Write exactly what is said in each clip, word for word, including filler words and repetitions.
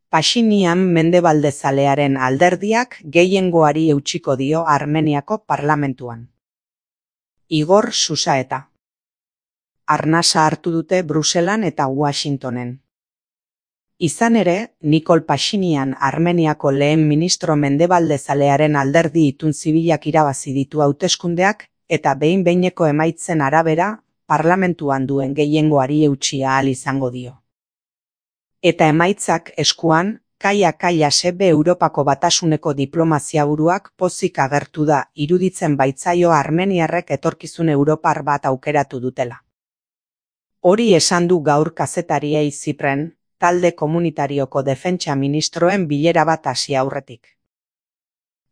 Pashinyan mendebaldezalearen alderdiak gehiengoari eutsiko dio Armeniako parlamentuan. Igor Susaeta. Arnasa hartu dute Bruselan eta Washingtonen. Izan ere, Nikol Pashinyan Armeniako lehen ministro mendebaldezalearen alderdi itun zibilak irabazi ditu hauteskundeak eta behin-behineko emaitzen arabera parlamentuan duen gehiengoari eutsi ahal izango dio. Eta emaitzak eskuan, Kaia Kailasebe Europako Batasuneko diplomaziaburuak pozik agertu da iruditzen baitzaio armeniarrek etorkizun europar bat aukeratu dutela. Hori esan du gaur kazetariei Zipren, talde komunitarioko defentsa ministroen bilera bat hasi aurretik.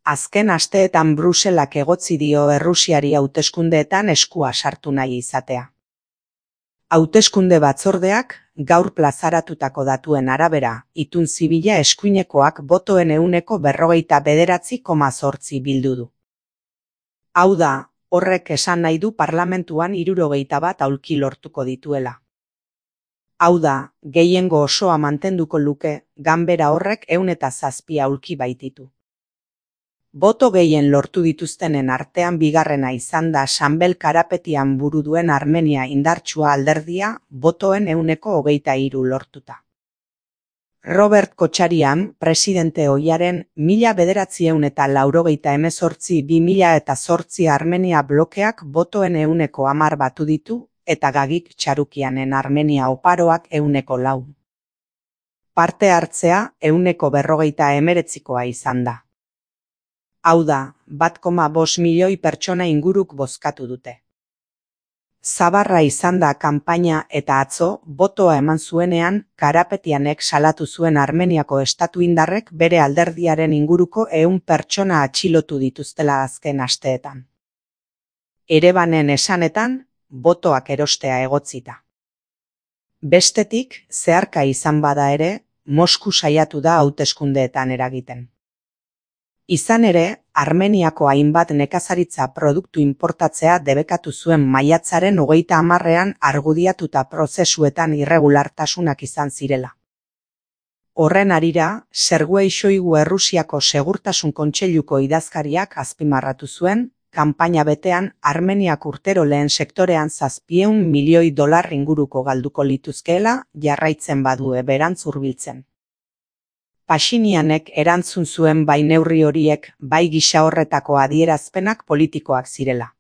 Azken asteetan Bruselak egotzi dio Errusiari hauteskundeetan eskua sartu nahi izatea. Hauteskunde batzordeak, gaur plazaratutako datuen arabera, itun zibila eskuinekoak botoen ehuneko berrogeita bederatzi koma zortzi bildu du. Hau da, horrek esan nahi du parlamentuan hirurogeita bat aulki lortuko dituela. Hau da, gehiengo osoa mantenduko luke, ganbera horrek ehun eta zazpi aulki baititu. Boto gehien lortu dituztenen artean bigarrena izan da Sanbel Karapetian buru duen Armenia indartsua alderdia botoen ehuneko hogeita hiru lortuta. Robert Kotxarian, presidente ohiaren mila bederatziehun eta laurogeita hemezortzi bi mila eta zortzi Armenia blokeak botoen ehuneko hamar batu ditu eta Gagik Txarukianen Armenia oparoak ehuneko lau. Parte hartzea ehuneko berrogeita hemeretzikoa izan da. Hau da, bat koma bost milioi pertsona inguruk bozkatu dute. Zabarra izan da kanpaina eta atzo, botoa eman zuenean, Karapetianek salatu zuen Armeniako estatu indarrek bere alderdiaren inguruko ehun pertsona atxilotu dituztela azken asteetan. Erebanen esanetan, botoak erostea egotzita. Bestetik, zeharka izan bada ere, Mosku saiatu da hauteskundeetan eragiten. Izan ere, Armeniako hainbat nekazaritza produktu inportatzea debekatu zuen maiatzaren hogeita hamarrean argudiatuta prozesuetan irregulartasunak izan zirela. Horren harira, Sergei Shoigu Errusiako Segurtasun Kontseiluko idazkariak azpimarratu zuen, kanpaina betean Armeniak urtero lehen sektorean zazpiehun milioi dolar inguruko galduko lituzkeela jarraitzen badu eberantz hurbiltzen. Pashinyanek erantzun zuen bai neurri horiek, bai gisa horretako adierazpenak politikoak zirela.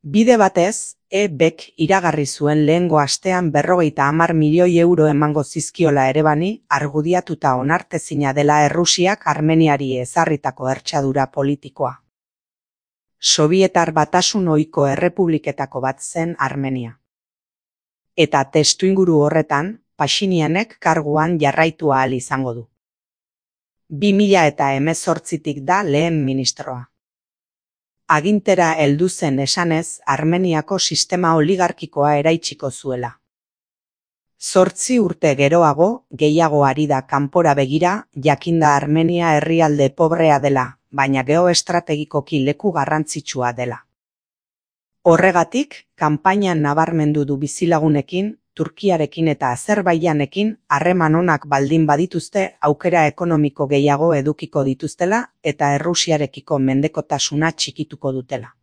Bide batez, E Bk iragarri zuen lehengo astean berrogeita hamar milioi euro emango zizkiola Erebani, argudiatuta onartezina dela Errusiak Armeniari ezarritako hertsadura politikoa. Sobietar Batasun ohiko errepubliketako bat zen Armenia. Eta testuinguru horretan, Pashinyanek karguan jarraitu ahal izango du. bi mila eta hemezortzitik da lehen ministroa. Agintera heldu zen esanez Armeniako sistema oligarkikoa eraitsiko zuela. Zortzi urte geroago, gehiago ari da kanpora begira, jakinda Armenia herrialde pobrea dela, baina geoestrategikoki leku garrantzitsua dela. Horregatik, kanpainan nabarmendu du bizilagunekin, Turkiarekin eta Azerbaijanekin harreman onak baldin badituzte aukera ekonomiko gehiago edukiko dituztela eta Errusiarekiko mendekotasuna txikituko dutela.